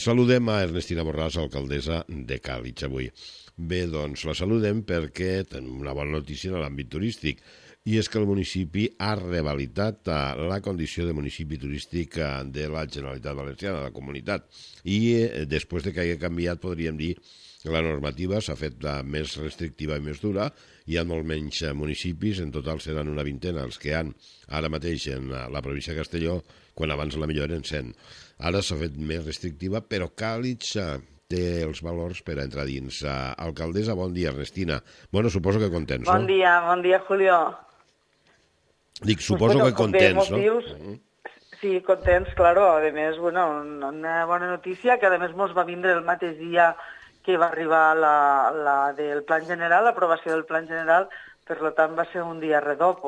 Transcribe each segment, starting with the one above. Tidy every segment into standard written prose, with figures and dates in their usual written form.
Saludem a Ernestina Borràs, alcaldessa de Càlig, avui. Bé, doncs la saludem perquè tenim una bona notícia en l'àmbit turístic, i és que el municipi ha revalidat la condició de municipi turístic de la Generalitat Valenciana, de la comunitat. I després de que hagi canviat, podríem dir, la normativa s'ha fet més restrictiva i més dura. Hi ha molt menys municipis, en total seran una vintena els que hi ha ara mateix en la província de Castelló, quan abans la millor eren 100. Ara s'ha fet més restrictiva, però Càlig té els valors per a entrar dins. Alcaldessa, bon dia, Ernestina. Bueno, suposo que contents, no? Bon dia, Julio. Dic, suposo que contents, no? Sí, contents, claro. A més, una bona notícia, que a més mos va vindre el mateix dia que va arribar la del Plan General, l'aprovació del Plan General, per tant va ser un dia redó.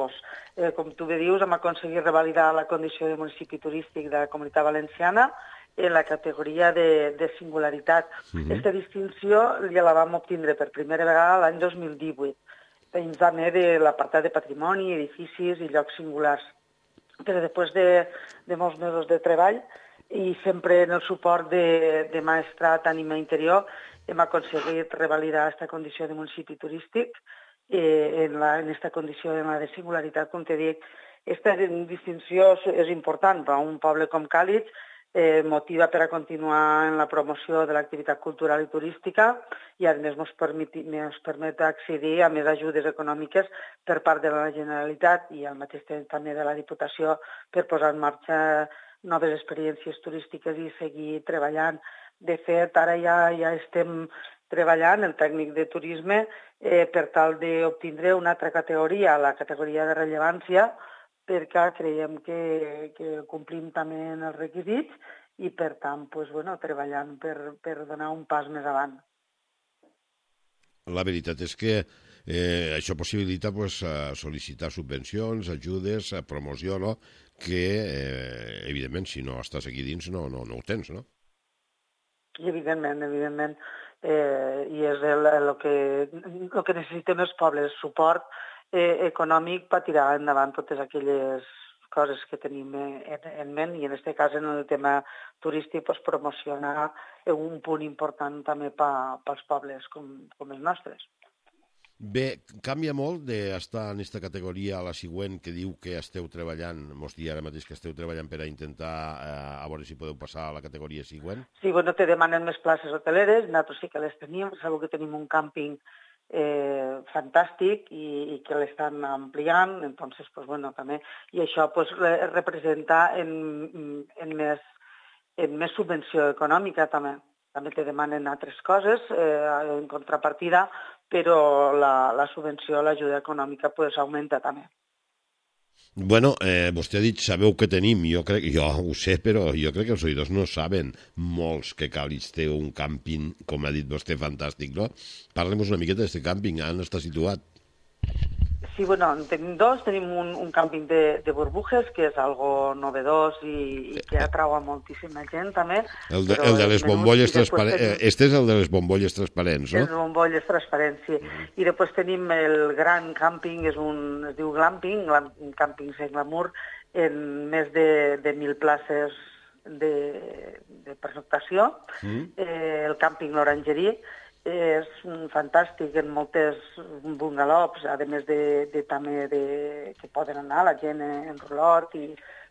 Com tu bé dius, hem aconseguit revalidar la condició de municipi turístic de la Comunitat Valenciana en la categoria de singularitat. Aquesta distinció ja la vam obtindre per primera vegada l'any 2018, dins també de l'apartat de patrimoni, edificis i llocs singulars. Però després de molts mesos de treball i sempre en el suport de Maestrat Ànima Interior, hem aconseguit revalidar aquesta condició de municipi turístic en aquesta condició de singularitat. Com te dic, aquesta distinció és important per a un poble com Càlig, motiva per a continuar en la promoció de l'activitat cultural i turística i a més ens permet accedir a més ajudes econòmiques per part de la Generalitat i al mateix temps també de la Diputació per posar en marxa noves experiències turístiques i seguir treballant. De fet, ara ja estem treballant el tècnic de turisme per tal d'obtindre una altra categoria, la categoria de rellevància, perquè creiem que complim també els requisits i, per tant, treballant per donar un pas més avant. La veritat és que això possibilita sol·licitar subvencions, ajudes, promoció, no? Que, evidentment, si no estàs aquí dins no ho tens, no? Evidentment. I és el que necessitem els pobles, suport econòmic per tirar endavant totes aquelles coses que tenim en ment i en aquest cas en el tema turístic promocionar un punt important també pels pobles com els nostres. Bé, canvia molt d'estar en aquesta categoria a la següent que diu que esteu treballant, mos dia ara mateix que esteu treballant per a intentar a veure si podeu passar a la categoria següent? Sí, te demanen més places hoteleres, nosaltres sí que les tenim, sabeu que tenim un càmping fantàstic i que l'estan ampliant, entonces, també, i això representa en més subvenció econòmica també. També te demanen altres coses en contrapartida, però la subvenció, l'ajuda econòmica, augmenta també. Bueno, vostè ha dit, sabeu què tenim, jo ho sé, però jo crec que els oïdors no saben molts que Càlig té un càmping, com ha dit vostè, fantàstic, no? Parlem-nos una miqueta d'aquest càmping, on està situat? Sí, en tenim dos. Tenim un càmping de burbujes, que és algo novedós i que atrau a moltíssima gent, també. El de les bombolles transparents. Este és el de les bombolles transparents, no? Les bombolles transparents, sí. I després tenim el gran càmping, es diu glamping, un càmping sense glamour, en més de 1.000 places de pernoctació. El càmping L'Orangerie és fantàstic en moltes bungalows, a més també que poden anar la gent en rulot,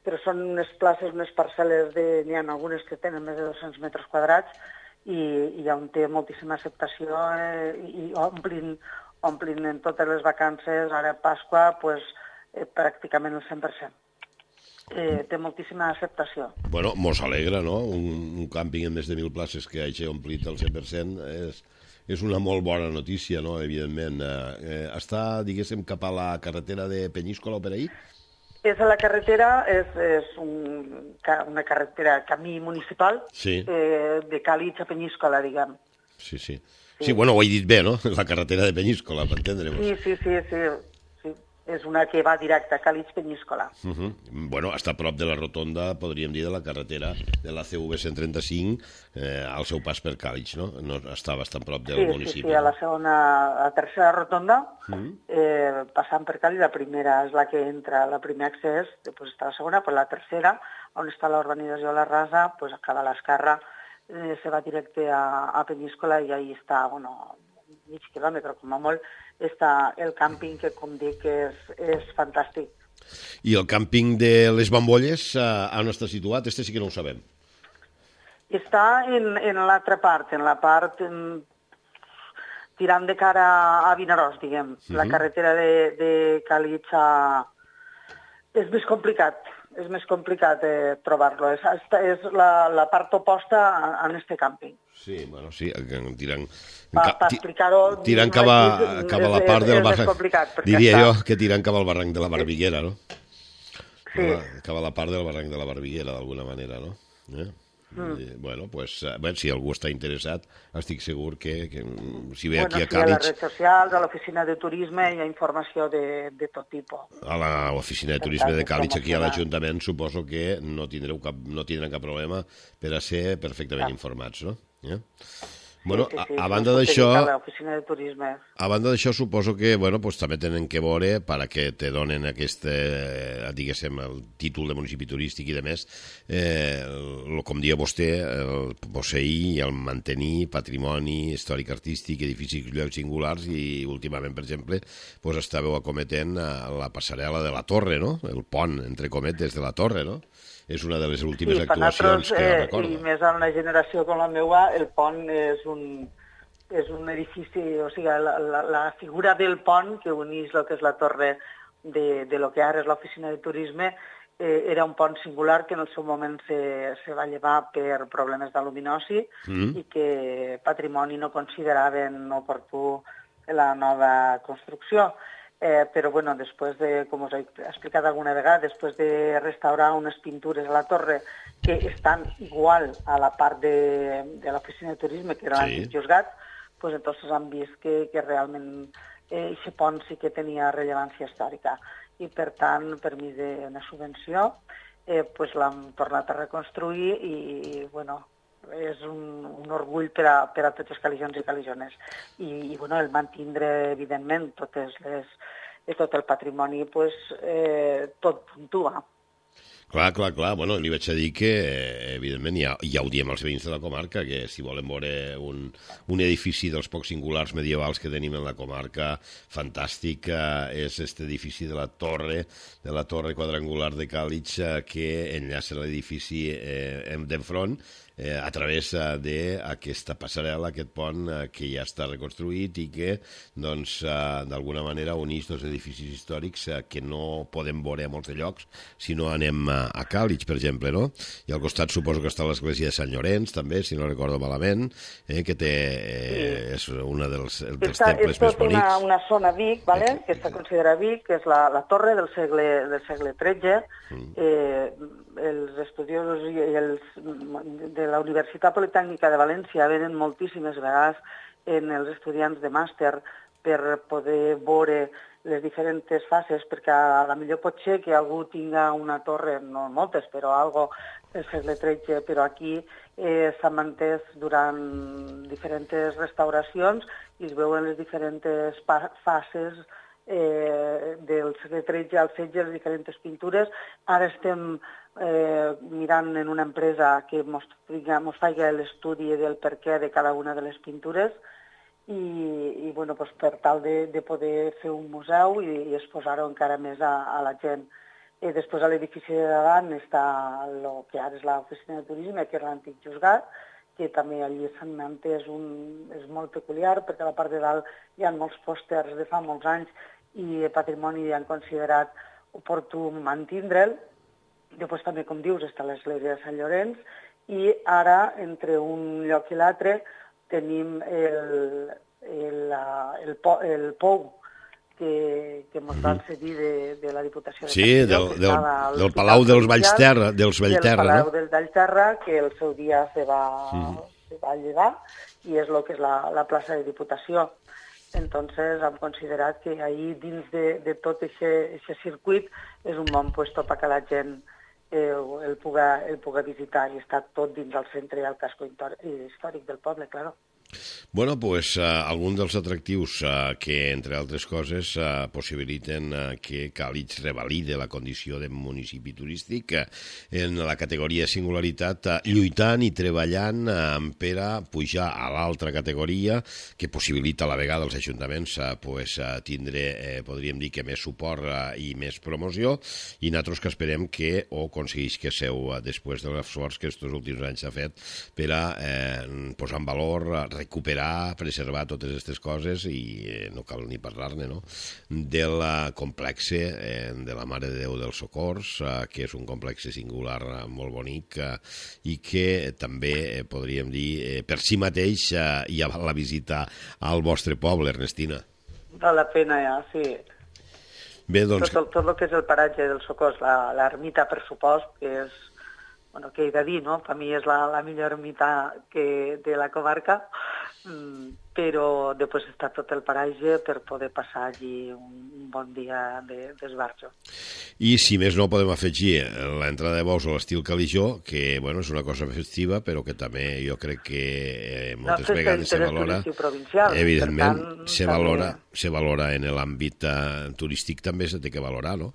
però són unes places, unes parcel·les, n'hi ha algunes que tenen més de 200 metres quadrats i on té moltíssima acceptació i omplin en totes les vacances, ara a Pasqua, pràcticament el 100%. Té moltíssima acceptació. Bueno, mos alegra, no? Un càmping amb més de 1.000 places que hagi omplit el 100% és una molt bona notícia, no? Evidentment. Està, diguéssim, cap a la carretera de Penyíscola o per ahí? És a la carretera, és una carretera, camí municipal, de Càlig a Penyíscola, diguem. Sí. Sí, bueno, ho he dit bé, no? La carretera de Penyíscola, per entendre-nos. Sí. És una que va directe a Càlig-Penyíscola. Bueno, està a prop de la rotonda, podríem dir, de la carretera de la CV 135, al seu pas per Càlig, no? Està bastant prop del municipi. Sí, a la tercera rotonda, passant per Càlig, la primera és la que entra, el primer accés, després està la segona, però la tercera, on està la urbanització La Rasa, acaba a l'esquerra, se va directe a Peníscola i ahí està, bueno, mig quilòmetre com a molt, està el càmping que, com dic, és fantàstic. I el càmping de les Bambolles, on està situat? Este sí que no ho sabem. Està en l'altra part, en la part tirant de cara a Vinaròs, diguem. La carretera de Càlig és més complicat trobar-lo. És la part oposta a este càmping. Sí, bueno, sí, tirant... Per explicar-ho... Tirant cap a la part del barranc... Diria jo que tirant cap al barranc de la Barbiguera, no? Sí. Cap a la part del barranc de la Barbiguera, d'alguna manera, no? Bueno, pues, si algú està interessat, estic segur que si ve aquí a Càlig... A les redes socials, a l'oficina de turisme, hi ha informació de tot tipus. A l'oficina de turisme de Càlig, aquí a l'Ajuntament, suposo que no tindran cap problema per a ser perfectament informats, no? Bueno, a banda d'això, suposo que, bueno, pues, també tenen que veure, perquè te donen aquest, diguéssim, el títol de municipi turístic i de més, com dia vostè, el posseir i el mantenir patrimoni històric artístic, edificis llocs singulars i, últimament, per exemple, pues, estàveu acometent la passarel·la de la Torre, no? El pont, entre cometes, de la Torre, no? És una de les últimes actuacions que recordo. I més en una generació com la meva, el pont és un edifici, o sigui, la figura del pont que unís el que és la torre de lo que ara és l'oficina de turisme era un pont singular que en el seu moment se va llevar per problemes d'aluminosi i que Patrimoni no consideraven oportú la nova construcció. Però, bueno, després de, com us he explicat alguna vegada, després de restaurar unes pintures a la torre que estan igual a la part de l'oficina de turisme, que era l'antic juzgat, pues entonces han vist que realment aquest pont sí que tenia rellevància històrica. I, per tant, per mi d'una subvenció, pues l'hem tornat a reconstruir i, bueno, és un orgull per a tots els caligions i calijones. I bueno, el mantindre, evidentment, tot el patrimoni, pues, tot puntua. Clar. Bueno, li vaig a dir que, evidentment, ja ho diem als veïns de la comarca, que si volen veure un edifici dels pocs singulars medievals que tenim en la comarca, fantàstic, és aquest edifici de la torre quadrangular de Càlig, que enllaça l'edifici d'enfront, a través d'aquesta passarel·la, aquest pont que ja està reconstruït i que, doncs, d'alguna manera uneix dos edificis històrics que no podem veure a molts de llocs si no anem a Càlig, per exemple, no? I al costat suposo que està l'església de Sant Llorenç, també, si no recordo malament, que és una dels temples més bonics. És una zona Vic, que està considerada Vic, que és la torre del segle XIII. Els estudiosos de la Universitat Politècnica de València venen moltíssimes vegades en els estudiants de màster per poder veure les diferents fases, perquè a la millor pot ser que algú tinga una torre, no moltes, però algo del segle XIII, però aquí s'ha mantès durant diferents restauracions i es veuen les diferents fases del segle XIII al XVI, les diferents pintures. Ara estem mirant en una empresa que ens faci l'estudi del perquè de cada una de les pintures i bueno, pues, per tal de poder fer un museu i exposar-ho encara més a la gent. Després a l'edifici de davant està el que ara és l'oficina de turisme, que era l'antic juzgat, que també allí s'han mantès és molt peculiar, perquè a la part de dalt hi ha molts pòsters de fa molts anys i Patrimoni han considerat oportú mantindre'l. Després també, com dius, està l'església de Sant Llorenç i ara, entre un lloc i l'altre, tenim el pou que ens van cedir de la Diputació de Castelló. Sí, del Palau dels Vallterra. Del Palau dels Vallterra, que el seu dia se va llevar i és el que és la plaça de Diputació. Entonces hem considerat que ahir dins de tot aquest circuit és un bon lloc perquè la gent el puga visitar i està tot dins el centre i el casco històric del poble, clar. Bueno, pues alguns dels atractius que, entre altres coses, possibiliten que Càlig revalide la condició de municipi turístic en la categoria de singularitat, lluitant i treballant per a pujar a l'altra categoria, que possibilita a la vegada als ajuntaments tindre, podríem dir, que més suport i més promoció, i nosaltres que esperem que ho aconsegueix que seu després de l'esforç que aquests últims anys s'ha fet per a posar en valor, recuperar, preservar totes aquestes coses i no cal ni parlar-ne, no? Del complex de la Mare de Déu dels Socors, que és un complex singular molt bonic i que també, podríem dir, per si mateix ja val la visita al vostre poble, Ernestina. Val la pena, ja, sí. Bé, doncs... Tot el que és el paratge dels Socors, l'ermita, per supost, que és, bueno, què he de dir, no? Per mi és la millor ermita de la comarca, però després està tot el paratge per poder passar allí un bon dia d'esbarjo. I si més no podem afegir l'entrada de bous a l'estil Calijó, que bueno, és una cosa festiva, però que també jo crec que moltes vegades se valora, evidentment, se valora en l'àmbit turístic, també se té que valorar, no?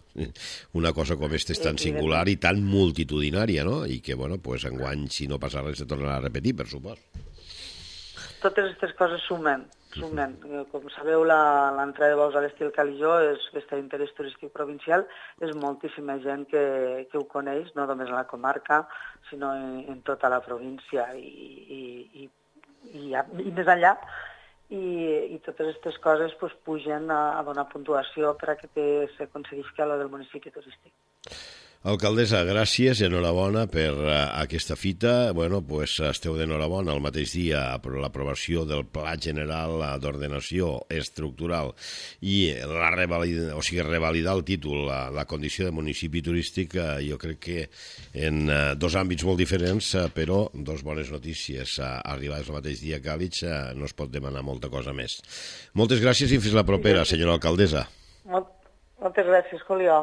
Una cosa com aquesta és tan singular i tan multitudinària, no? I que, bueno, pues enguany, si no passa res, se tornarà a repetir, per supost. Totes aquestes coses sumen. Com sabeu, l'entrada de bous a l'estil Calijó és festa d'interès turístic provincial, és moltíssima gent que ho coneix, no només a la comarca, sinó en tota la província i més enllà. I totes aquestes coses pugen a donar puntuació per a que s'aconseguisca allò del municipi turístic. Alcaldessa, gràcies i enhorabona per aquesta fita. Bueno, pues esteu d'enhorabona el mateix dia per l'aprovació del Pla General d'Ordenació Estructural i revalidar el títol, la condició de municipi turístic, jo crec que en dos àmbits molt diferents, però dos bones notícies arribades el mateix dia a Càlig, no es pot demanar molta cosa més. Moltes gràcies i fins la propera, senyora alcaldessa. Moltes gràcies, Julià.